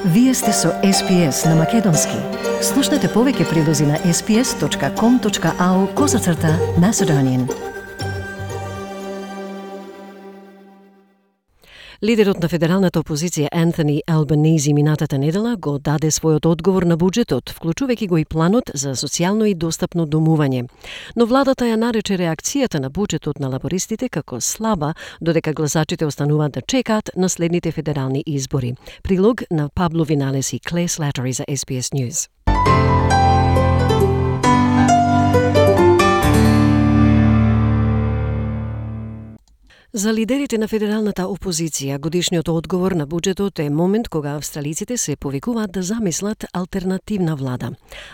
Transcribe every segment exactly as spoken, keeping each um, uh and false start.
Вие сте со Ес Пи Ес на Македонски. Слушнете повеќе прилози на ес пи ес точка ком точка ау козацрта Macedonian. Лидерот на федералната опозиција Антони Албанези минатата недела го даде својот одговор на буџетот, вклучувајќи го и планот за социјално и достапно домување. Но владата ја нарече реакцијата на буџетот на лабористите како слаба, додека гласачите остануваат да чекаат на следните федерални избори. Прилог на Пабло Виналес и Клеј Слатери за Ес Пи Ес News. За лидерите на федералната опозиција, годишниот одговор на буџетот е момент кога австралиците се повикуваат да замислат алтернативна влада.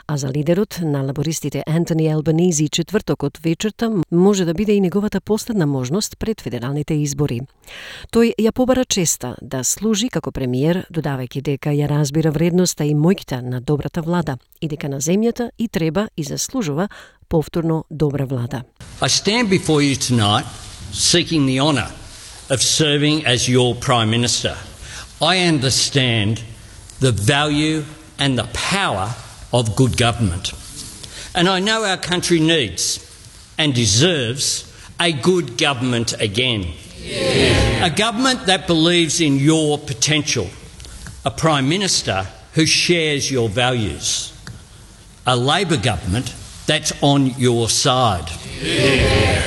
А за лидерот на лабористите Антони Албанези, четвртокот вечерта може да биде и неговата последна можност пред федералните избори. Тој ја побара честа да служи како премиер, додавајќи дека ја разбира вредноста и моќта на добрата влада и дека на земјата и треба и заслужува повторно добра влада. I stand before you tonight seeking the honour of serving as your Prime Minister. I understand the value and the power of good government. And I know our country needs and deserves a good government again. Yeah. A government that believes in your potential. A Prime Minister who shares your values. A Labor government that's on your side. Yeah.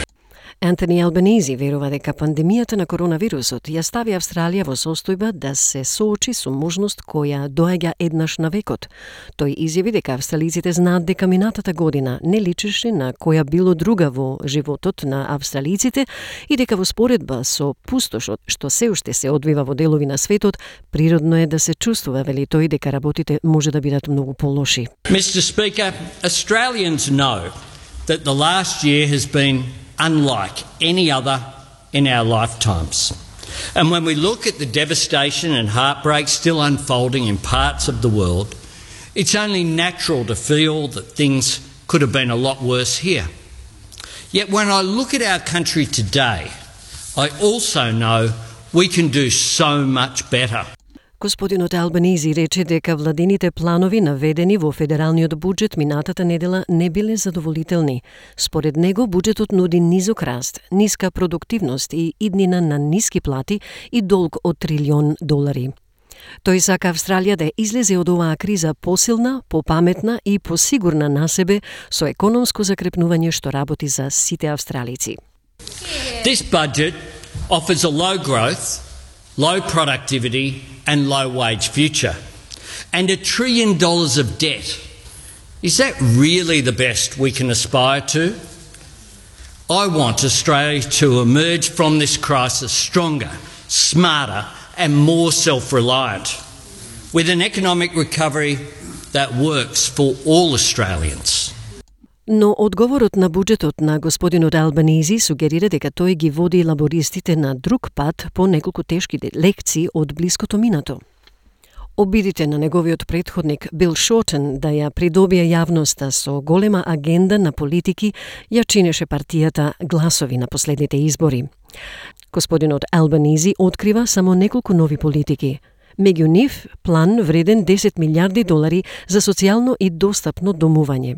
Антони Албанези верува дека пандемијата на коронавирусот ја стави Австралија во состојба да се соочи со можност која доаѓа еднаш на векот. Тој изјави дека австралиците знаат дека минатата година не личеше на која било друга во животот на австралиците и дека во споредба со пустошот што се уште се одвива во делови на светот, природно е да се чувствува, вели тој, дека работите може да бидат многу полоши. Mister Speaker, Australians know that the last year has been unlike any other in our lifetimes. And when we look at the devastation and heartbreak still unfolding in parts of the world, it's only natural to feel that things could have been a lot worse here. Yet when I look at our country today, I also know we can do so much better. Господинот Албанези рече дека владините планови наведени во федералниот буџет минатата недела не биле задоволителни. Според него, буџетот нуди низок раст, ниска продуктивност и иднина на ниски плати и долг од трилион долари. Тој сака Австралија да излезе од оваа криза посилна, попаметна и посигурна на себе со економско закрепнување што работи за сите австралици. This budget offers a low growth, low productivity and low wage future, and a trillion dollars of debt. Is that really the best we can aspire to? I want Australia to emerge from this crisis stronger, smarter and more self-reliant, with an economic recovery that works for all Australians. Но одговорот на буџетот на господинот Албанези сугерира дека тој ги води лабористите на друг пат по неколку тешки лекции од блиското минато. Обидите на неговиот претходник Бил Шортен да ја придобие јавноста со голема агенда на политики ја чинеше партијата гласови на последните избори. Господинот Албанези открива само неколку нови политики. Меѓу нив план вреден десет милиарди долари за социјално и достапно домување.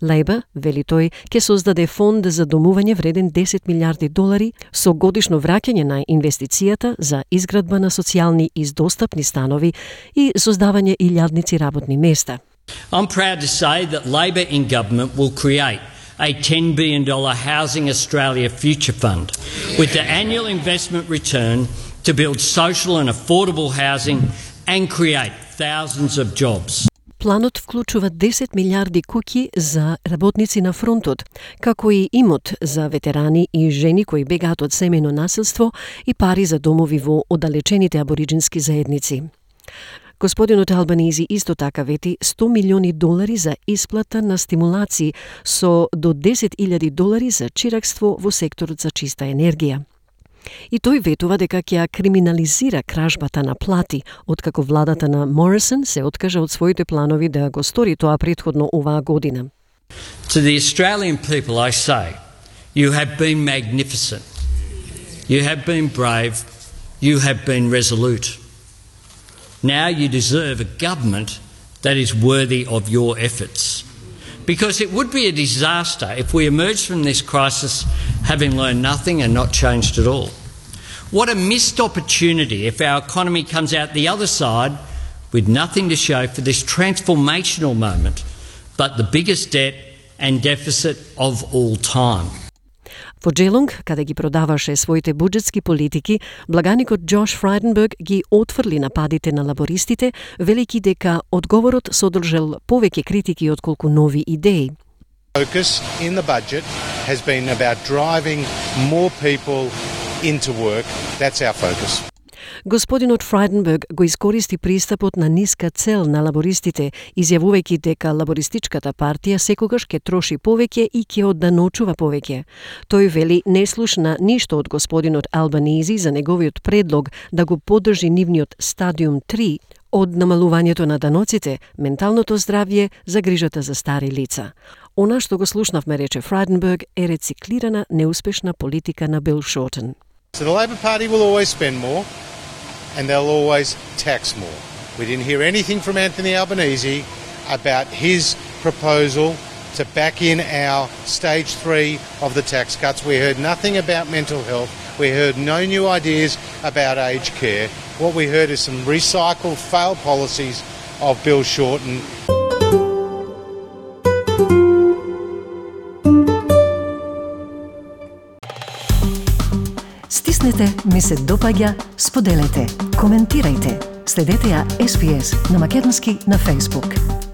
Лейба, вели тој, ќе создаде фонд за домување вреден десет милиарди долари со годишно враќање на инвестицијата за изградба на социјални и достапни станови и создавање илјадници работни места. I'm proud to say that Labor in government will create a ten billion dollars Housing Australia Future Fund with the annual investment return to build social and affordable housing and create thousands of jobs. Планот вклучува десет милиарди куќи за работници на фронтот, како и имот за ветерани и жени кои бегаат од семејно насилство и пари за домови во оддалечените абориџински заедници. Господинот Албанези исто така вети сто милиони долари за исплата на стимулации со до десет илјади долари за чиракство во секторот за чиста енергија. И тој ветува дека ќе криминализира кражбата на плати, откако владата на Морисон се откажа од своите планови да го стори тоа претходно оваа година. To the Australian people I say, you have been magnificent. You have been brave. You have been resolute. Now you deserve a government that is worthy of your efforts. Because it would be a disaster if we emerge from this crisis having learned nothing and not changed at all. What a missed opportunity if our economy comes out the other side with nothing to show for this transformational moment, but the biggest debt and deficit of all time. Во Джелонг, каде ги продаваше своите буџетски политики, благаникот Джош Фрайденберг ги отфрли нападите на лабористите, велики дека одговорот содржал повеќе критики отколку нови идеи. Focus in the budget has been about driving more people into work. That's our focus. Господинот Фрайденберг го искористи пристапот на ниска цел на лабористите, изјавувајќи дека лабористичката партија секогаш ќе троши повеќе и ќе одданочува повеќе. Тој вели не слушна ништо од господинот Албанизи за неговиот предлог да го поддржи нивниот стадиум три од намалувањето на даноците, менталното здравје, за грижата за стари лица. Она што го слушнавме, рече Фрайденберг, е рециклирана неуспешна политика на Бил Шортен. So the Labor Party will always spend more and they'll always tax more. We didn't hear anything from Anthony Albanese about his proposal to back in our stage three of the tax cuts. We heard nothing about mental health. We heard no new ideas about aged care. What we heard is some recycled failed policies of Bill Shorten. Стиснете, ми се допаѓа, споделете, коментирајте. Следете ја Ес Би Ес на македонски на Facebook.